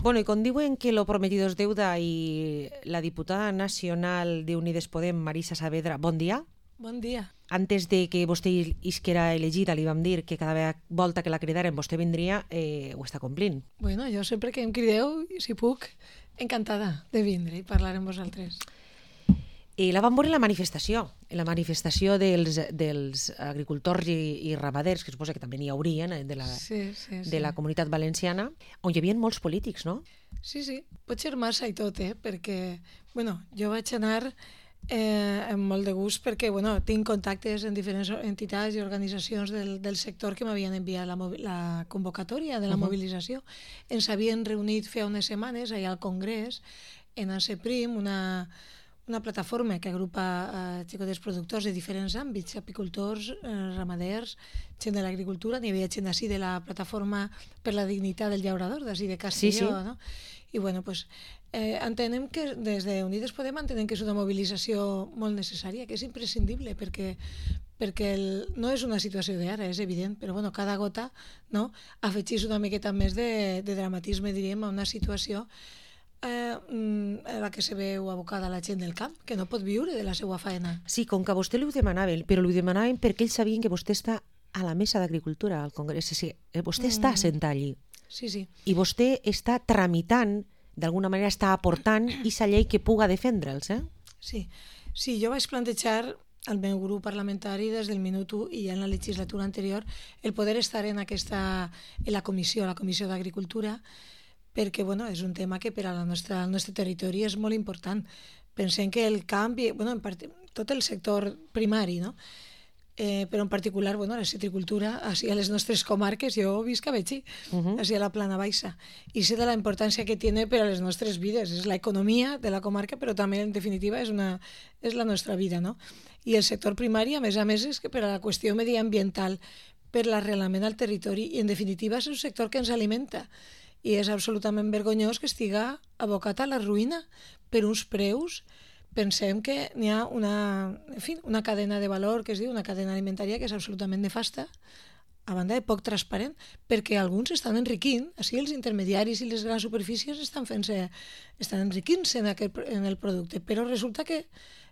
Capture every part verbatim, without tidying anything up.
Bueno, y con diuen que lo prometido es deuda y la diputada nacional de Unides Podem, Marisa Saavedra, bon dia. Bon dia. Antes de que vostè isquera elegida li vam dir que cada volta que la cridaren vostè vindria, eh, ho està complint. Bueno, jo sempre que em crideu, si puc, encantada de vindre i parlar amb vosaltres. I la vam veure en la manifestació, en la manifestació dels, dels agricultors i, i ramaders, que suposa que també n'hi haurien, de la, sí, sí, sí. de la comunitat valenciana, on hi havia molts polítics, no? Sí, sí, pot ser massa i tot, eh? Perquè, bueno, jo vaig anar eh, amb molt de gust perquè, bueno, tinc contactes en diferents entitats i organitzacions del, del sector que m'havien enviat la, la convocatòria de la uh -huh. mobilització. Ens havien reunit fa unes setmanes allà al Congrés, en ANSEPRIM, una... una plataforma que agrupa eh, xicotes productors de diferents àmbits, apicultors, eh, ramaders, gent de l'agricultura. N'hi havia gent així de la plataforma per la dignitat del llaurador, d'ací de Castelló, sí, sí. no? I bueno, pues, eh, entenem que des de Unides Podem entenem que és una mobilització molt necessària, que és imprescindible, perquè perquè el, no és una situació d'ara, és evident, però bueno, cada gota, no, afegís una miqueta més de, de dramatisme, diríem, a una situació Eh, a la que se veu abocada la gent del camp, que no pot viure de la seva faena. Sí, com que a vostè li ho demanaven, però li ho demanaven perquè ells sabien que vostè està a la mesa d'agricultura al Congrés. Sí, vostè mm. està assentat allí. Sí, sí. I vostè està tramitant, d'alguna manera està aportant aquesta llei que puga defendre'ls, eh? Sí, sí, jo vaig plantejar al meu grup parlamentari des del minut u i ja en la legislatura anterior el poder estar en aquesta, en la comissió, la comissió d'Agricultura, perquè bueno, és un tema que per a la nostra, al nostre territori és molt important. Pensem que el canvi, bueno, en part, tot el sector primari, no? eh, però en particular bueno, la citricultura, així a les nostres comarques, jo visc a Betxí, uh -huh. així a la Plana Baixa, i sé de la importància que té per a les nostres vides, és l'economia de la comarca, però també en definitiva és, una, és la nostra vida, no? I el sector primari, a més a més, és que per a la qüestió mediambiental, per l'arrelament al territori, i en definitiva és un sector que ens alimenta, i és absolutament vergonyós que estiga abocat a la ruïna per uns preus. Pensem que n'hi ha una, en fi, una cadena de valor que es diu una cadena alimentària que és absolutament nefasta, a banda de poc transparent, perquè alguns estan enriquint, així els intermediaris i les grans superfícies estan fent-se, estan enriquint-se en, aquest, en el producte, però resulta que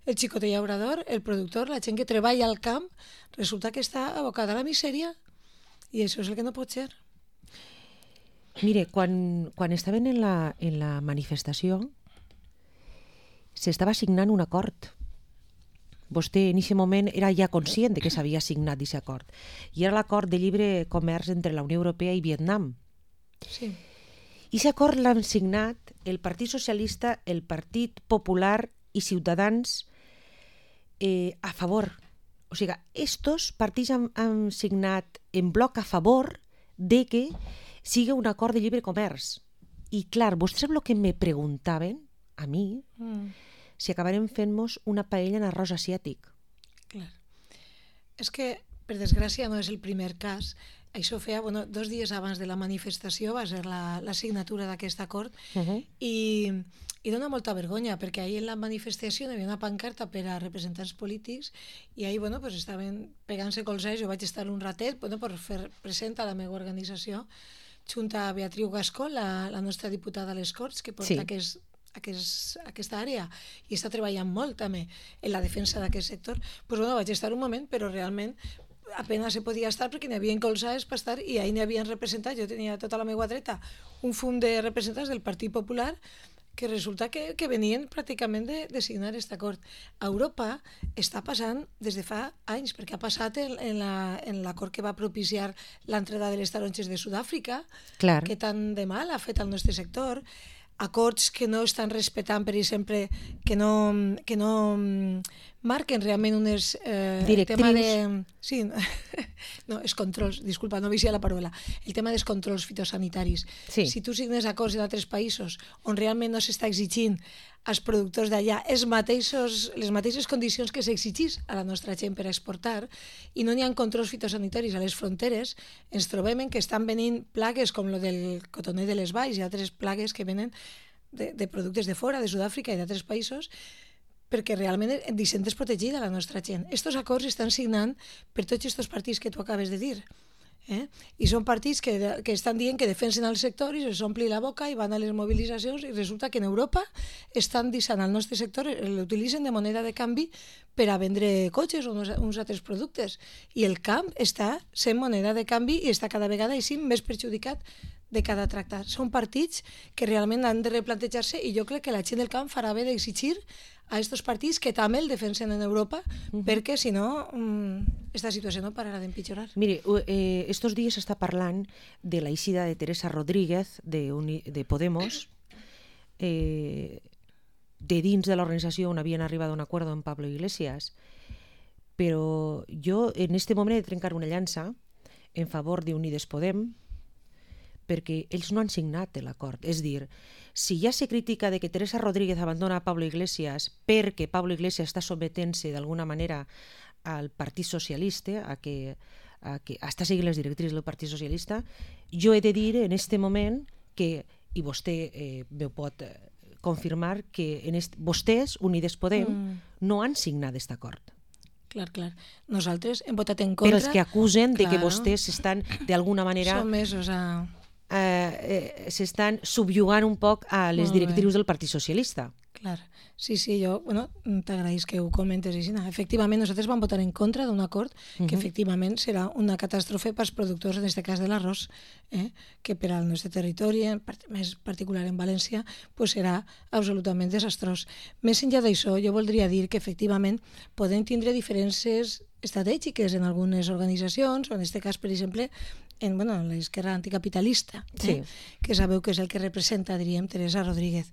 el xicotet llaurador, el productor, la gent que treballa al camp, resulta que està abocada a la misèria, i això és el que no pot ser. Mire, quan, quan estaven en la, en la manifestació s'estava signant un acord. Vostè en aquest moment era ja conscient de que s'havia signat aquest acord. I era l'acord de lliure comerç entre la Unió Europea i Vietnam. Sí. I aquest acord l'han signat el Partit Socialista, el Partit Popular i Ciutadans eh, a favor. O sigui, estos partits han, han signat en bloc a favor de que sigui un acord de lliure comerç. I clar, vostès el que me preguntaven a mi, mm. si acabarem fent-nos una paella en arròs asiàtic. Clar. És que, per desgràcia, no és el primer cas. Això feia, bueno, dos dies abans de la manifestació va ser la, la signatura d'aquest acord uh -huh. i, i dona molta vergonya, perquè ahir en la manifestació hi havia una pancarta per a representants polítics i ahir, bueno, pues estaven pegant-se colzes. Jo vaig estar un ratet, bueno, per fer present a la meva organització, junt a Beatriu Gascó, la, la nostra diputada a les Corts, que porta sí. aquest Aquest, aquesta àrea i està treballant molt també en la defensa d'aquest sector. Pues bueno, vaig estar un moment, però realment apenas se podia estar perquè n'hi havia colzades per estar i ahir n'hi havien representat, jo tenia tota la meva dreta un fum de representants del Partit Popular que resulta que, que venien pràcticament de, de signar aquest acord. A Europa està passant des de fa anys, perquè ha passat en, en, la, en l'acord que va propiciar l'entrada de les taronges de Sud-àfrica, Clar. que tant de mal ha fet al nostre sector, acords que no estan respectant, per exemple, que no, que no marquen realment unes... Eh, directrius. El tema de... Sí, no, els controls, disculpa, no vicia la paraula. El tema dels controls fitosanitaris. Sí. Si tu signes acords en altres països on realment no s'està exigint als productors d'allà els mateixos, les mateixes condicions que s'exigís a la nostra gent per exportar i no n'hi ha controls fitosanitaris a les fronteres, ens trobem que estan venint plagues com lo del cotoner de les valls i altres plagues que venen de, de productes de fora, de Sud-àfrica i d'altres països, perquè realment deixem desprotegida la nostra gent. Estos acords estan signant per tots aquests partits que tu acabes de dir. Eh? I són partits que, que estan dient que defensen el sector i se s'ompli la boca i van a les mobilitzacions i resulta que en Europa estan deixant el nostre sector, l'utilitzen de moneda de canvi per a vendre cotxes o uns, uns altres productes. I el camp està sent moneda de canvi i està cada vegada així més perjudicat de cada tractat. Són partits que realment han de replantejar-se i jo crec que la gent del camp farà bé d'exigir a estos partits que també el defensen en Europa, uh-huh. perquè si no, aquesta situació no pararà d'empitjorar. Mire, eh, estos dies s'està parlant de la eixida de Teresa Rodríguez de, Uni, de Podemos, eh, de dins de l'organització on havien arribat a un acord amb Pablo Iglesias, però jo en este moment he de trencar una llança en favor d'Unides Podem, perquè ells no han signat l'acord. És dir, si ja se critica de que Teresa Rodríguez abandona a Pablo Iglesias perquè Pablo Iglesias està sometent-se d'alguna manera al Partit Socialista, a que, a que està seguint les directrius del Partit Socialista, jo he de dir en este moment que, i vostè eh, me pot confirmar, que en est, vostès, Unides Podem, mm. no han signat aquest acord. Clar, clar. Nosaltres hem votat en contra... Per els que acusen de que vostès estan, d'alguna manera... Som mesos a... Eh, eh, s'estan subjugant un poc a les directrius del Partit Socialista. Clar, sí, sí, jo bueno, t'agraïs que ho comentes, Isina. Efectivament, nosaltres vam votar en contra d'un acord que uh-huh. efectivament serà una catàstrofe pels productors, en aquest cas de l'arròs, eh? que per al nostre territori, més particular en València, pues serà absolutament desastrós. Més enllà d'això, jo voldria dir que efectivament podem tindre diferències estratègiques en algunes organitzacions, o en aquest cas, per exemple, en bueno, l'esquerra anticapitalista, eh? sí. que sabeu que és el que representa, diríem, Teresa Rodríguez.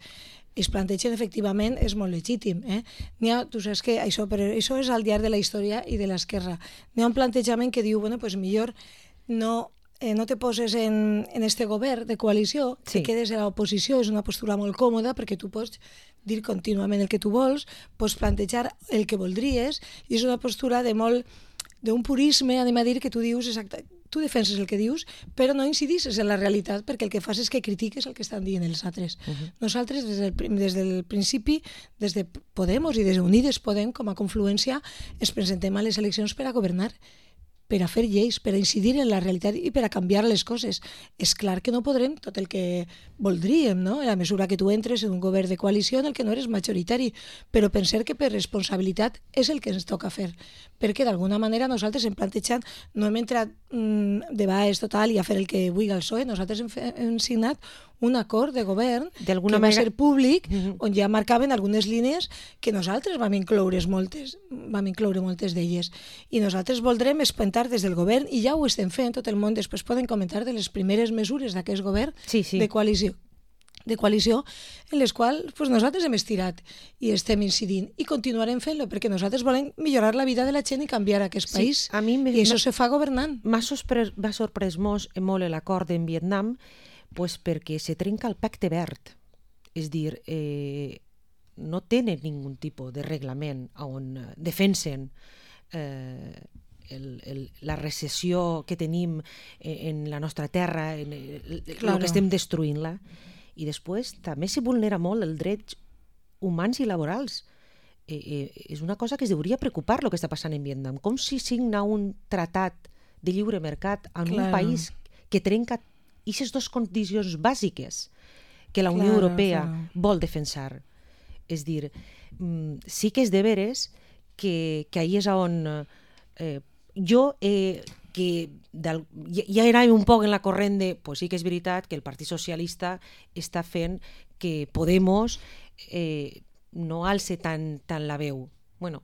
Es plantegen, efectivament, és molt legítim. Eh? N'hi ha, tu saps que això, però això és al llarg de la història i de l'esquerra. N'hi ha un plantejament que diu, bueno, pues millor no, eh, no te poses en, en este govern de coalició, sí. te quedes a l'oposició, és una postura molt còmoda perquè tu pots dir contínuament el que tu vols, pots plantejar el que voldries, i és una postura de molt d'un purisme, anem a dir, que tu dius exacte, tu defenses el que dius, però no incidisses en la realitat, perquè el que fas és que critiques el que estan dient els altres. Uh-huh. Nosaltres, des del, des del principi, des de Podemos i des d'Unides Podem, com a confluència, ens presentem a les eleccions per a governar, per a fer lleis, per a incidir en la realitat i per a canviar les coses. És clar que no podrem tot el que voldríem, no? En la mesura que tu entres en un govern de coalició en el que no eres majoritari, però pensar que per responsabilitat és el que ens toca fer, perquè d'alguna manera nosaltres hem plantejat, no hem entrat mmm, de baix total i a fer el que vulgui el P S O E, nosaltres hem, fe, hem signat un acord de govern que va manera... ser públic, uh-huh. on ja marcaven algunes línies que nosaltres vam incloure moltes, vam incloure moltes d'elles. I nosaltres voldrem espentar des del govern, i ja ho estem fent, tot el món després poden comentar de les primeres mesures d'aquest govern sí, sí. de coalició de coalició, en les quals pues, nosaltres hem estirat i estem incidint i continuarem fent-lo, perquè nosaltres volem millorar la vida de la gent i canviar aquest sí, país, a mi i això se fa governant. M'ha sorprès, sorprès molt, molt l'acord en Vietnam, pues, perquè se trenca el pacte verd, és dir, eh, no tenen ningú tipus de reglament on defensen eh, el, el, la recessió que tenim en la nostra terra, en el, claro. el que estem destruint-la. I després també se vulnera molt els drets humans i laborals. Eh, eh, és una cosa que es hauria preocupar el que està passant en Vietnam. Com si signa un tratat de lliure mercat en claro. un país que trenca aquestes dues condicions bàsiques que la Unió claro, Europea claro. vol defensar. És dir, sí que és de veres que, que ahí és on eh, jo... Eh, que del, ja era un poc en la corrent de, pues sí que és veritat que el Partit Socialista està fent que Podemos eh, no alce tant, tant la veu. Bueno,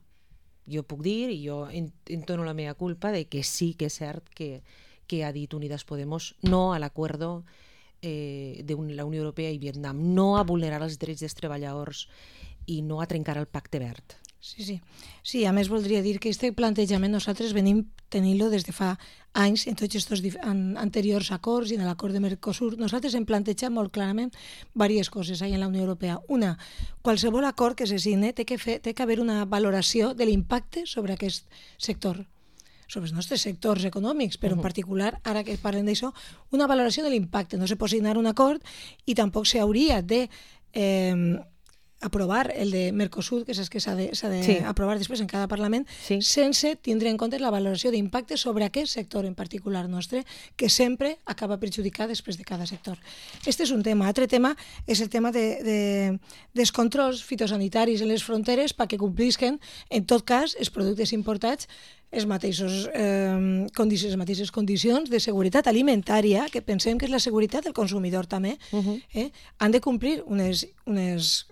jo puc dir, i jo entono la meva culpa, de que sí que és cert que, que ha dit Unidas Podemos no a l'acuerdo eh, de la Unió Europea i Vietnam, no a vulnerar els drets dels treballadors i no a trencar el pacte verd. Sí, sí. Sí, a més voldria dir que aquest plantejament nosaltres venim tenint-lo des de fa anys en tots aquests anteriors acords i en l'acord de Mercosur. Nosaltres hem plantejat molt clarament diverses coses ahí en la Unió Europea. Una, qualsevol acord que se signe té que, fer, té que haver una valoració de l'impacte sobre aquest sector, sobre els nostres sectors econòmics, però uh-huh. en particular, ara que parlem d'això, una valoració de l'impacte. No se pot signar un acord i tampoc s'hauria de... Eh, aprovar el de Mercosur, que és que s'ha d'aprovar de, sí. després en cada Parlament, sí. sense tindre en compte la valoració d'impacte sobre aquest sector en particular nostre, que sempre acaba perjudicat després de cada sector. Este és un tema. Altre tema és el tema de, de, dels controls fitosanitaris en les fronteres perquè complisquen, en tot cas, els productes importats els mateixos, eh, condicions, les mateixes condicions de seguretat alimentària, que pensem que és la seguretat del consumidor també, uh-huh. eh, han de complir unes, unes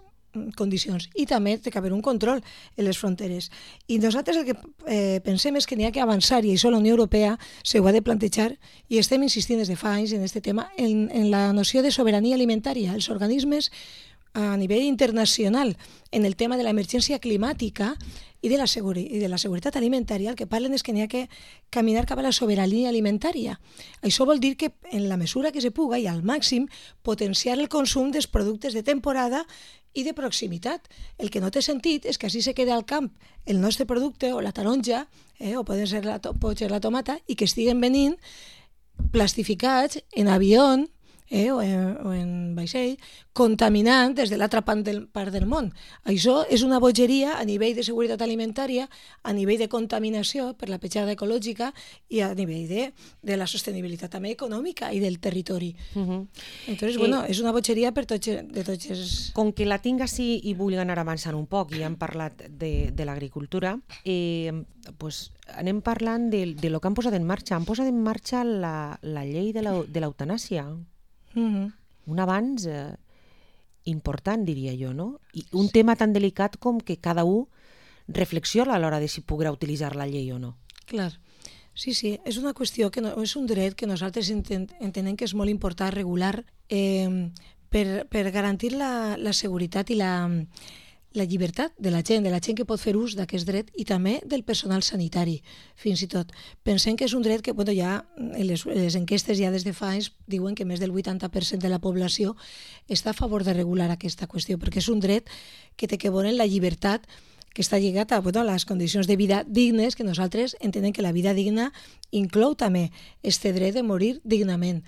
condicions i també té que haver un control en les fronteres. I nosaltres el que eh, pensem és que n'hi ha que avançar, i això la Unió Europea s'ho ha de plantejar, i estem insistint des de fa anys en aquest tema, en, en la noció de sobirania alimentària. Els organismes a nivell internacional en el tema de l'emergència climàtica i de, la seguri, i de la seguretat alimentària, el que parlen és que n'hi ha que caminar cap a la sobirania alimentària. Això vol dir que en la mesura que se puga i al màxim potenciar el consum dels productes de temporada i de proximitat. El que no té sentit és que així se queda al camp el nostre producte o la taronja, eh, o pot ser la, pot ser la tomata, i que estiguen venint plastificats en avió, Eh, o, en, o en vaixell, contaminant des de l'altra part del, part del món. Això és una bogeria a nivell de seguretat alimentària, a nivell de contaminació per la petjada ecològica i a nivell de, de la sostenibilitat també econòmica i del territori. Uh-huh. Entonces, eh, bueno, és una bogeria per tots, de tots els... Com que la tinc així i vull anar avançant un poc, i hem parlat de, de l'agricultura, eh, pues, anem parlant de, de lo que han posat en marxa. Han posat en marxa la, la llei de l'eutanàsia. Uh-huh. Un avanç eh, important, diria jo, no? I un tema tan delicat com que cada un reflexiona a l'hora de si podrà utilitzar la llei o no. Clar, sí, sí, és una qüestió, que no, és un dret que nosaltres enten, entenem que és molt important regular eh, per, per garantir la, la seguretat i la, la llibertat de la gent, de la gent que pot fer ús d'aquest dret, i també del personal sanitari, fins i tot. Pensem que és un dret que, bueno, ja les, les enquestes ja des de fa anys diuen que més del vuitanta per cent de la població està a favor de regular aquesta qüestió, perquè és un dret que té que veure en la llibertat, que està lligat a, bueno, a les condicions de vida dignes, que nosaltres entenem que la vida digna inclou també este dret de morir dignament.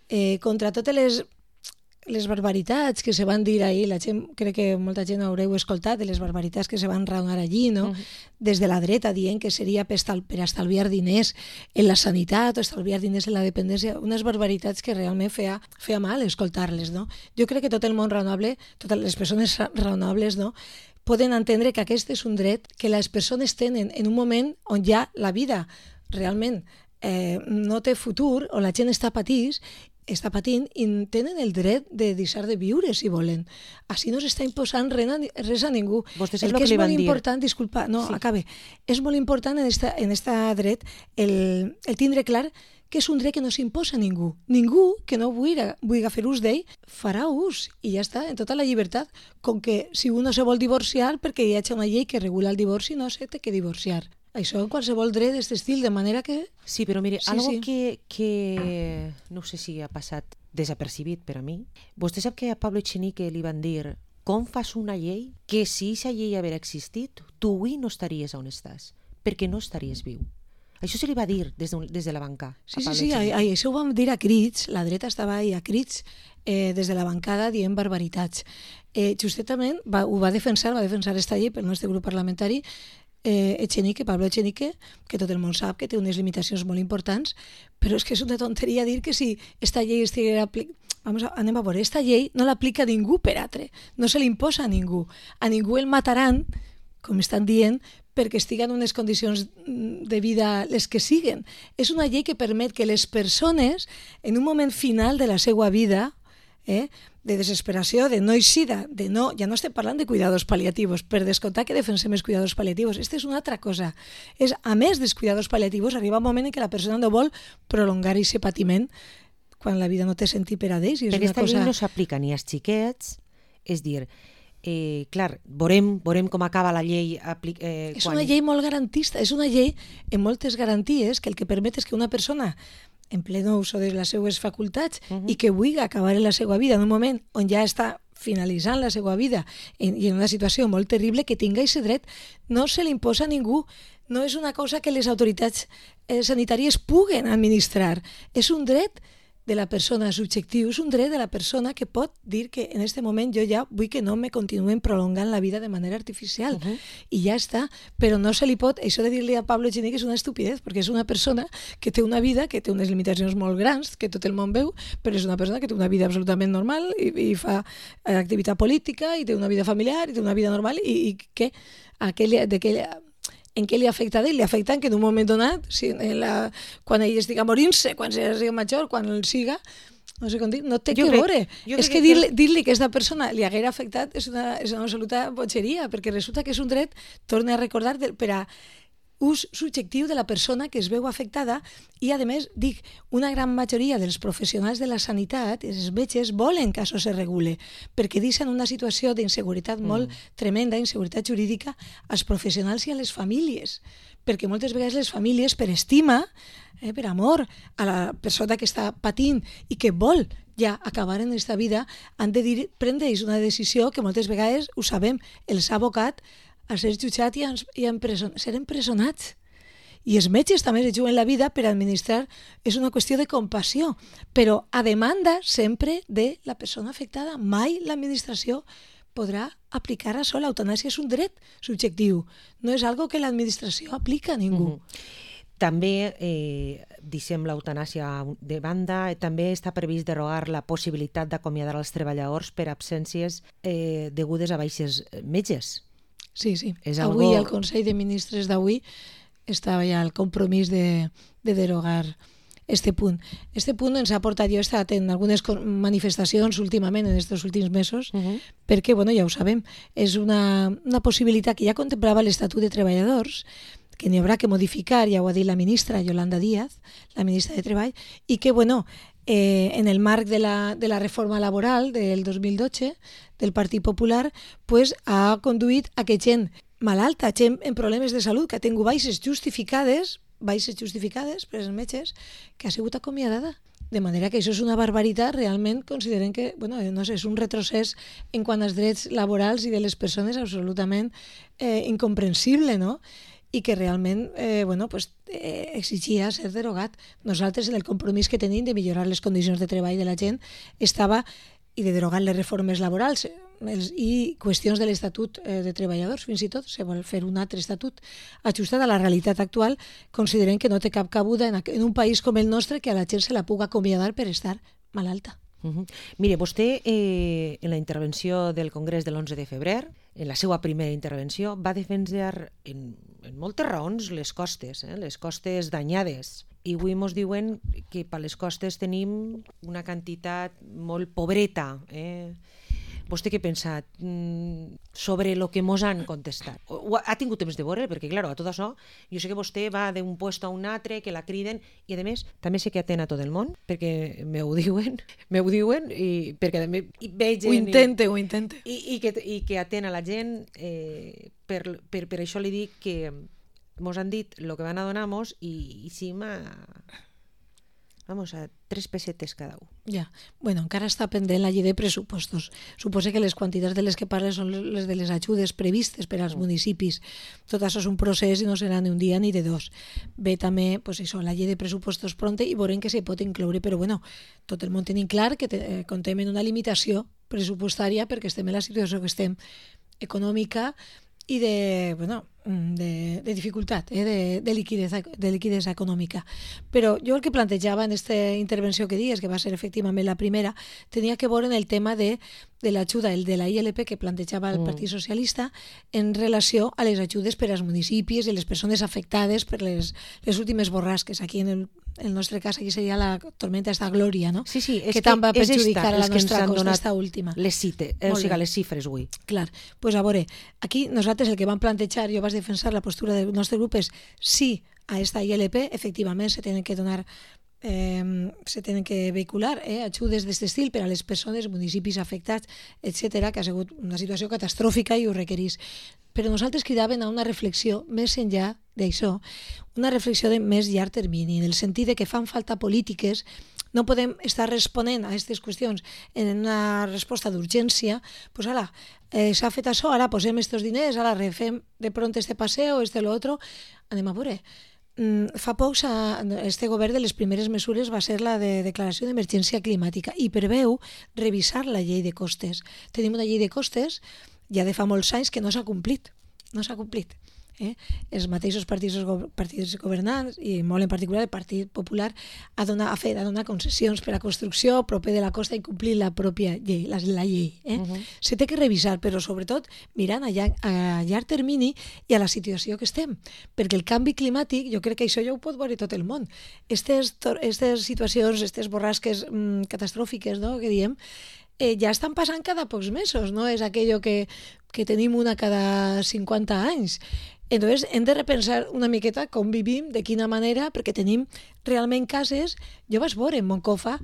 Eh, contra totes les les barbaritats que se van dir ahir, la gent, crec que molta gent haureu escoltat de les barbaritats que se van raonar allí, no? Uh-huh. Des de la dreta dient que seria per, estal, per estalviar diners en la sanitat o estalviar diners en la dependència, unes barbaritats que realment feia, feia mal escoltar-les, no? Jo crec que tot el món raonable, totes les persones raonables, no?, poden entendre que aquest és un dret que les persones tenen en un moment on ja la vida realment eh, no té futur, on la gent està patís, està patint, i tenen el dret de deixar de viure, si volen. Així no s'està imposant res a ningú. Vostès el que, que és li van molt dir. important, disculpa, no, sí. acabe, és molt important en esta, en esta dret el, el tindre clar que és un dret que no s'imposa a ningú. Ningú que no vulgui, vulgui fer ús d'ell farà ús, i ja està, en tota la llibertat, com que si un no se vol divorciar perquè hi ha una llei que regula el divorci, no se té que divorciar. Això en qualsevol dret d'aquest estil, de manera que... Sí, però mire, sí, algo sí. Que, que no sé si ha passat desapercibit per a mi. Vostè sap que a Pablo Echenique li van dir: com fas una llei que si aquesta llei haguera existit, tu avui no estaries on estàs, perquè no estaries viu. Això se li va dir des de, des de la banca. Sí, sí, sí, ai, ai, això ho vam dir a crits, la dreta estava ahí a crits, eh, des de la bancada dient barbaritats. Eh, justament va, ho va defensar, va defensar esta llei pel nostre grup parlamentari, Eh, Echenique, Pablo Echenique, que tot el món sap que té unes limitacions molt importants, però és que és una tonteria dir que si esta llei estiguera aplicada... Vamos a, anem a veure, esta llei no l'aplica ningú per altre, no se l'imposa a ningú. A ningú el mataran, com estan dient, perquè estiguen en unes condicions de vida les que siguen. És una llei que permet que les persones, en un moment final de la seva vida, eh, de desesperació, de no eixida, de no, ja no estem parlant de cuidados paliativos, per descomptar que defensem els cuidados paliativos. Aquesta és una altra cosa. És, a més dels cuidados paliativos, arriba un moment en què la persona no vol prolongar aquest patiment quan la vida no té sentit per a d'ells. Però aquesta cosa... llei no s'aplica ni als xiquets, és dir, eh, clar, veurem, veurem com acaba la llei. Apli- eh, és quan... una llei molt garantista, és una llei amb moltes garanties que el que permet és que una persona en pleno uso de les seues facultats uh-huh. i que vulgui acabar en la seva vida en un moment on ja està finalitzant la seva vida en, i en una situació molt terrible, que tinga aquest dret, no se l'imposa a ningú. No és una cosa que les autoritats eh, sanitàries puguen administrar. És un dret de la persona subjectiu, és un dret de la persona que pot dir que en aquest moment jo ja vull que no me continuen prolongant la vida de manera artificial. Uh-huh. I ja està. Però no se li pot, això de dir-li a Pablo Echenique és una estupidez, perquè és una persona que té una vida, que té unes limitacions molt grans, que tot el món veu, però és una persona que té una vida absolutament normal i, i fa activitat política i té una vida familiar i té una vida normal i, i que aquell, d'aquella en què li afecta a ell? Li afecta que en un moment donat, si en la, quan ell estigui morint-se, quan sigui major, quan el siga, no sé com dir, no té jo que crec, veure. És que, que dir-li dir que aquesta persona li haguera afectat és una, és una absoluta botxeria, perquè resulta que és un dret, torna a recordar, per a ús subjectiu de la persona que es veu afectada i, a més, dic, una gran majoria dels professionals de la sanitat, els metges, volen que això se regule, perquè deixen una situació d'inseguretat mm. molt tremenda, inseguretat jurídica, als professionals i a les famílies, perquè moltes vegades les famílies, per estima, eh, per amor a la persona que està patint i que vol ja acabar en aquesta vida, han de dir, prendre una decisió que moltes vegades, ho sabem, els ha abocat a ser jutjat i a, i a empreson, ser empresonats. I els metges també es juguen la vida per administrar, és una qüestió de compassió, però a demanda sempre de la persona afectada. Mai l'administració podrà aplicar això. L'eutanàsia és un dret subjectiu, no és algo que l'administració aplica a ningú. Mm-hmm. També, eh, deixem l'eutanàsia de banda, també està previst derogar la possibilitat d'acomiadar els treballadors per absències eh, degudes a baixes metges. Sí, sí. És avui algo... al Consell de Ministres d'avui estava ja el compromís de, de derogar este punt. Este punt ens ha portat, jo he estat en algunes manifestacions últimament, en aquests últims mesos, uh-huh. perquè, bueno, ja ho sabem, és una, una possibilitat que ja contemplava l'Estatut de Treballadors, que n'hi haurà que modificar, ja ho ha dit la ministra Yolanda Díaz, la ministra de Treball, i que, bueno, eh, en el marc de la, de la reforma laboral del dos mil dotze del Partit Popular, pues, ha conduït a que gent malalta, gent en problemes de salut, que ha tingut baixes justificades, baixes justificades per els metges, que ha sigut acomiadada. De manera que això és una barbaritat, realment consideren que, bueno, no sé, és un retrocés en quant als drets laborals i de les persones absolutament eh, incomprensible, no?, i que realment eh, bueno, pues, eh, exigia ser derogat. Nosaltres, en el compromís que tenim de millorar les condicions de treball de la gent, estava, i de derogar les reformes laborals els, i qüestions de l'Estatut eh, de Treballadors, fins i tot, se vol fer un altre estatut ajustat a la realitat actual, considerem que no té cap cabuda en, en un país com el nostre que a la gent se la puga acomiadar per estar malalta. Uh-huh. Mire, vostè eh, en la intervenció del Congrés de l'onze de febrer, en la seva primera intervenció, va defensar en, en moltes raons les costes, eh, les costes danyades. I avui ens diuen que per les costes tenim una quantitat molt pobreta. Eh? Vostè què pensa mm, sobre el que ens han contestat? O, ha tingut temps de veure? Perquè, clar, a tot això, jo sé que vostè va d'un puesto a un altre, que la criden, i a més, també sé que atén a tot el món, perquè me ho diuen, me ho diuen, i perquè també i veig... Ho intente, i, ho intente. I, i, que, i que atén a la gent, eh, per, per, per això li dic que mos han dit el que van a donar-nos i, i sí m'ha... Vamos, a tres pessetes cada un. Ja, bueno, encara està pendent la llei de pressupostos. Suposa que les quantitats de les que parles són les de les ajudes previstes per als municipis. Tot això és un procés i no serà ni un dia ni de dos. Ve també, pues això, la llei de pressupostos pronta i veurem que se pot incloure, però bueno, tot el món tenim clar que te, eh, contem en una limitació pressupostària perquè estem en la situació que estem econòmica i de, bueno, de, de dificultat, eh, de, de, liquidesa, de liquidesa econòmica. Però jo el que plantejava en aquesta intervenció que dies, que va ser efectivament la primera, tenia que veure en el tema de, de l'ajuda, el de la I L P que plantejava el Partit Socialista en relació a les ajudes per als municipis i les persones afectades per les, les últimes borrasques. Aquí en el, en el nostre cas aquí seria la tormenta esta Glòria, no? Sí, sí, és que tant va perjudicar esta, a la nostra costa, esta última. Les cite, eh, o sigui, les xifres avui. Clar, doncs pues a veure, aquí nosaltres el que vam plantejar, jo vaig defensar la postura del nostre grup és sí a esta I L P, efectivament se tenen que donar eh, se tenen que vehicular eh, ajudes d'aquest estil per a les persones, municipis afectats, etcètera, que ha sigut una situació catastròfica i ho requerís. Però nosaltres cridàvem a una reflexió més enllà d'això, una reflexió de més llarg termini, en el sentit de que fan falta polítiques. No podem estar responent a aquestes qüestions en una resposta d'urgència, doncs ara, eh, s'ha fet això, ara posem aquests diners, ara refem de pront este passeo, este lo otro, anem a veure. fa poc este govern de les primeres mesures va ser la de declaració d'emergència climàtica i preveu revisar la llei de costes. Tenim una llei de costes ja de fa molts anys que no s'ha complit, no s'ha complit. Eh? Els mateixos partits, partits governants i molt en particular el Partit Popular ha donat, ha fet, ha donat concessions per a construcció proper de la costa i complir la pròpia llei, la, la llei. Eh? Uh -huh. Se té que revisar, però sobretot mirant a, llarg, a llarg termini i a la situació que estem, perquè el canvi climàtic, jo crec que això ja ho pot veure tot el món. Estes, estes situacions, aquestes borrasques mmm, catastròfiques, no?, que diem, eh, ja estan passant cada pocs mesos, no és aquello que, que tenim una cada cinquanta anys. Entonces, hem de repensar una miqueta com vivim, de quina manera, perquè tenim realment cases. Jo vaig veure en Moncofa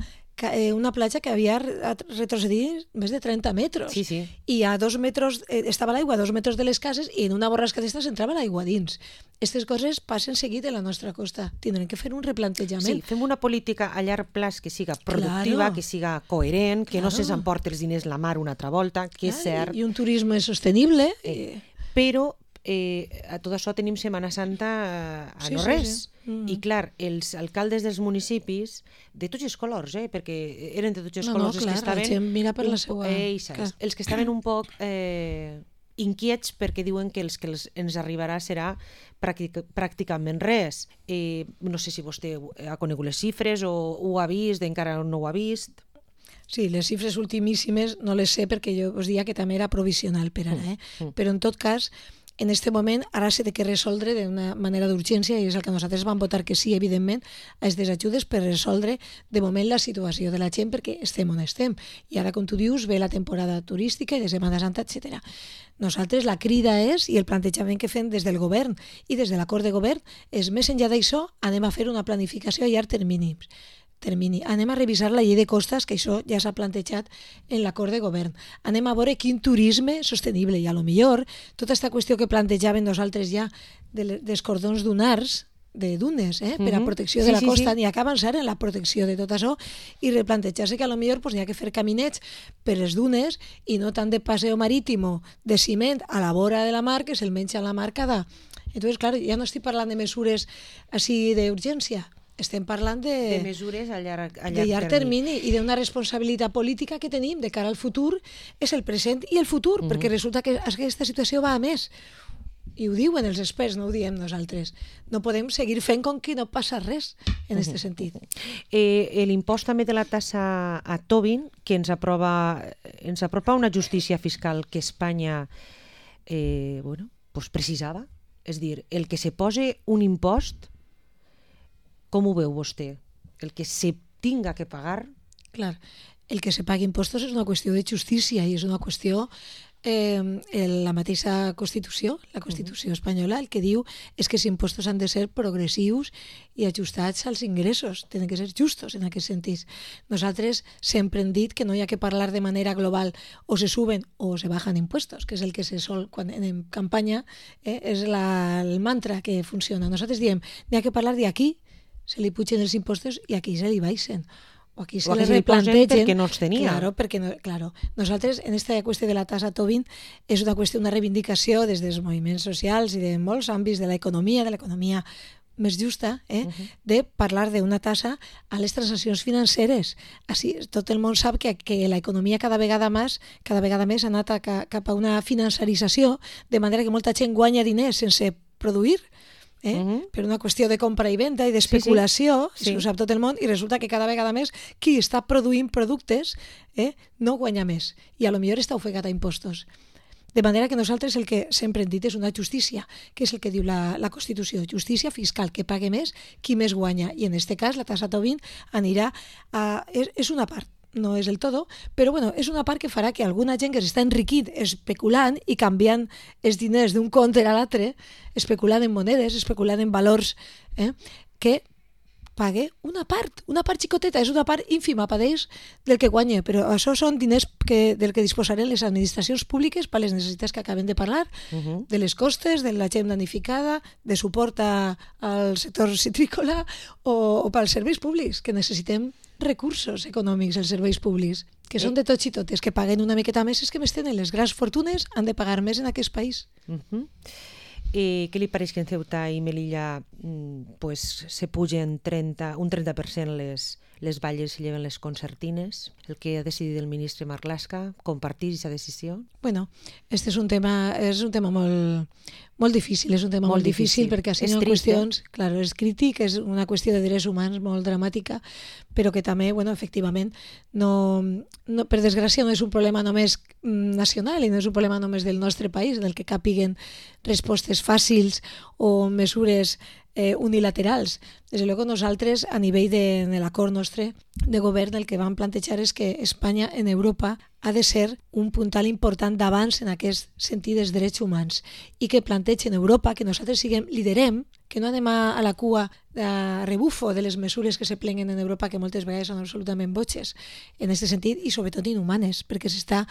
una platja que havia retrocedit més de trenta metres. Sí, sí. I a dos metres, eh, estava l'aigua a dos metres de les cases i en una borrasca d'estes entrava l'aigua dins. Aquestes coses passen seguit en la nostra costa. Tindrem que fer un replantejament. Sí, fem una política a llarg plaç que siga productiva, claro, que siga coherent, que claro, no se'ns emporti els diners la mar una altra volta, que claro, és cert. I un turisme sostenible. Eh, però Eh, a tot això tenim Setmana Santa a sí, no res. Sí, sí. Mm. I clar, els alcaldes dels municipis, de tots els colors, eh, perquè eren de tots els no, colors, no, clar, els que estaven... La gent mira per la seva... Eh, els que estaven un poc eh, inquiets perquè diuen que els que els, ens arribarà serà pràctic, pràcticament res. Eh, no sé si vostè ha conegut les xifres o ho ha vist, encara no ho ha vist... Sí, les xifres ultimíssimes no les sé perquè jo us diria que també era provisional per ara, eh? Mm. Però en tot cas, en aquest moment ara s'ha de resoldre d'una manera d'urgència i és el que nosaltres vam votar que sí, evidentment, a aquestes ajudes per resoldre de moment la situació de la gent perquè estem on estem. I ara, com tu dius, ve la temporada turística i de Setmana Santa, etcètera. Nosaltres la crida és, i el plantejament que fem des del govern i des de l'acord de govern, és més enllà d'això, anem a fer una planificació a llarg termini. termini. Anem a revisar la llei de costes, que això ja s'ha plantejat en l'acord de govern. Anem a veure quin turisme sostenible i a lo millor tota aquesta qüestió que plantejàvem nosaltres ja de, dels cordons dunars, de dunes, eh, per a protecció de sí, la costa, sí, sí. N'hi ha que avançar en la protecció de tot això i replantejar-se que a lo millor pues, n'hi ha que fer caminets per les dunes i no tant de paseo marítimo de ciment a la vora de la mar que se'l menja a la mar cada... Entonces, claro, ja no estic parlant de mesures així d'urgència, estem parlant de, de mesures a llarg, a llarg, de llarg termini. termini i d'una responsabilitat política que tenim de cara al futur, és el present i el futur, mm-hmm. perquè resulta que aquesta situació va a més. I ho diuen els experts, no ho diem nosaltres. No podem seguir fent com que no passa res en aquest mm-hmm. sentit. Eh, L'impost també de la tassa a Tobin, que ens aprova, ens apropa una justícia fiscal que Espanya eh, bueno, pues precisava. És dir, el que se posi un impost, com ho veu vostè? El que se tinga que pagar? Clar, el que se pagui impostos és una qüestió de justícia i és una qüestió, eh, la mateixa Constitució, la Constitució espanyola, el que diu és que els impostos han de ser progressius i ajustats als ingressos, tenen que ser justos en aquest sentit. Nosaltres sempre hem dit que no hi ha que parlar de manera global o se suben o se bajan impuestos, que és el que se sol quan en campanya, eh, és la, el mantra que funciona. Nosaltres diem, n'hi ha que parlar d'aquí, se li pugen els impostos i aquí se li baixen. O aquí se o li replantegen perquè no els tenia. Claro, perquè no, claro. Nosaltres, en aquesta qüestió de la tassa Tobin, és una qüestió, una reivindicació des dels moviments socials i de molts àmbits de l'economia, de l'economia més justa, eh, uh-huh. de parlar d'una tassa a les transaccions financeres. Així, tot el món sap que, que l'economia cada vegada més cada vegada més ha anat a, cap a una financerització, de manera que molta gent guanya diners sense produir, Eh? Uh-huh. per una qüestió de compra i venda i d'especulació, sí, sí. Sí. Ho sap tot el món, i resulta que cada vegada més qui està produint productes eh, no guanya més, i a lo millor està ofegat a impostos. De manera que nosaltres el que sempre hem dit és una justícia, que és el que diu la, la Constitució, justícia fiscal, que pague més qui més guanya, i en aquest cas la tassa Tobin anirà a... és, és una part, no és el todo, però bueno, és una part que farà que alguna gent que s'està enriquint especulant i canviant els diners d'un compte a l'altre, especulant en monedes, especulant en valors, eh, que pague una part, una part xicoteta, és una part ínfima per ells del que guanya, però això són diners que, del que disposaren les administracions públiques per les necessitats que acabem de parlar, uh-huh. de les costes, de la gent danificada, de suport a, al sector citrícola o, o pels serveis públics, que necessitem recursos econòmics als serveis públics, que són de tots i totes, que paguen una miqueta més, és que més tenen les grans fortunes, han de pagar més en aquest país. Uh-huh. Eh, què li pareix que en Ceuta i Melilla mm, pues, se pugen trenta, un trenta per cent les, les valles i lleven les concertines? El que ha decidit el ministre Marlaska, compartir aquesta decisió? Bueno, este és un tema, és un tema molt, molt difícil, és un tema molt, molt difícil, difícil perquè hi ha qüestions, claro, és crític, és una qüestió de drets humans molt dramàtica, però que també, bueno, efectivament, no, no, per desgràcia no és un problema només nacional i no és un problema només del nostre país, en el que capiguen respostes fàcils o mesures eh, unilaterals. Des de luego nosaltres, a nivell de, de l'acord nostre de govern, el que vam plantejar és que Espanya en Europa ha de ser un puntal important d'abans en aquest sentit dels drets humans i que plantegin en Europa que nosaltres siguem, liderem, que no anem a, a la cua de rebufo de les mesures que se plenguen en Europa, que moltes vegades són absolutament botxes en aquest sentit i sobretot inhumanes, perquè s'està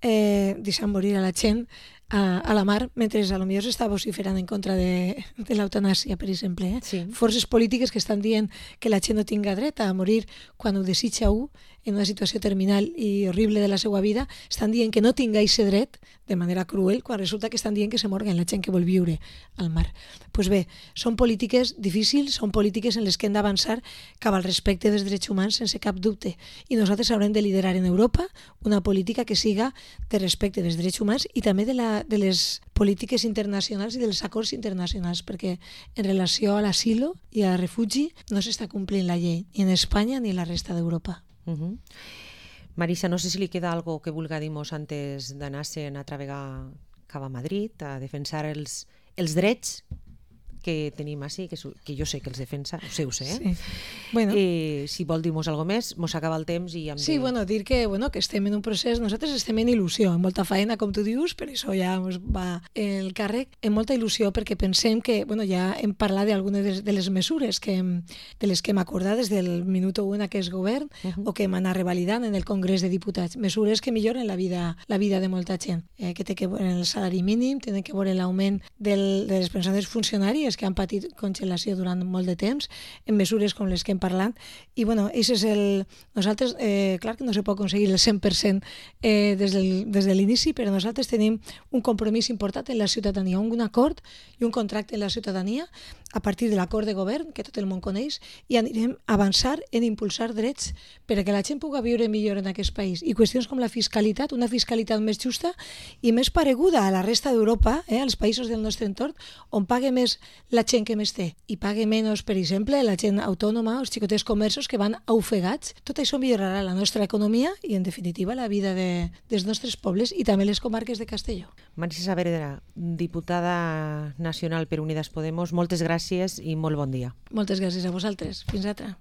eh, deixant morir a la gent a, a la mar, mentre a lo millor s'està vociferant en contra de, de l'eutanàsia, per exemple. Eh? Sí. Forces polítiques que estan dient que la gent no tinga dret a morir quan ho desitja un en una situació terminal i horrible de la seva vida, estan dient que no tinga aquest dret de manera cruel, quan resulta que estan dient que se morguen la gent que vol viure al mar. Doncs pues bé, són polítiques difícils, són polítiques en les que hem d'avançar cap al respecte dels drets humans sense cap dubte. I nosaltres haurem de liderar en Europa una política que siga de respecte dels drets humans i també de, la, de les polítiques internacionals i dels acords internacionals, perquè en relació a l'asilo i al refugi no s'està complint la llei, ni en Espanya ni en la resta d'Europa. Uh-huh. Marisa, no sé si li queda algo que vulga dir-nos antes d'anar-se'n a travegar cap a Madrid, a defensar els, els drets que tenim així, que, que jo sé que els defensa, ho sé, ho sé, eh? Sí. Bueno. Eh, si vol dir-nos alguna més, mos acaba el temps i hem sí, de... bueno, dir que, bueno, que estem en un procés, nosaltres estem en il·lusió, en molta feina, com tu dius, per això ja ens va el càrrec, en molta il·lusió, perquè pensem que, bueno, ja hem parlat d'algunes de, de les mesures que hem, de les que hem acordat des del minut u en aquest govern, uh-huh. o que hem anat revalidant en el Congrés de Diputats, mesures que milloren la vida, la vida de molta gent, eh, que té que veure el salari mínim, tenen que veure l'augment del, de les pensions funcionàries que han patit congelació durant molt de temps, en mesures com les que hem parlat, i bueno, és el... nosaltres, eh, clar que no se pot aconseguir el cent per cent eh, des, del, des de l'inici, però nosaltres tenim un compromís important en la ciutadania, un acord i un contracte en la ciutadania a partir de l'acord de govern, que tot el món coneix, i anirem a avançar en impulsar drets perquè la gent pugui viure millor en aquest país. I qüestions com la fiscalitat, una fiscalitat més justa i més pareguda a la resta d'Europa, eh, als països del nostre entorn, on pague més la gent que més té i pague menys, per exemple, la gent autònoma, els xicotets comerços que van ofegats. Tot això millorarà la nostra economia i, en definitiva, la vida de, dels nostres pobles i també les comarques de Castelló. Marisa Saavedra, diputada nacional per Unidas Podemos, moltes gràcies i molt bon dia. Moltes gràcies a vosaltres. Fins altra.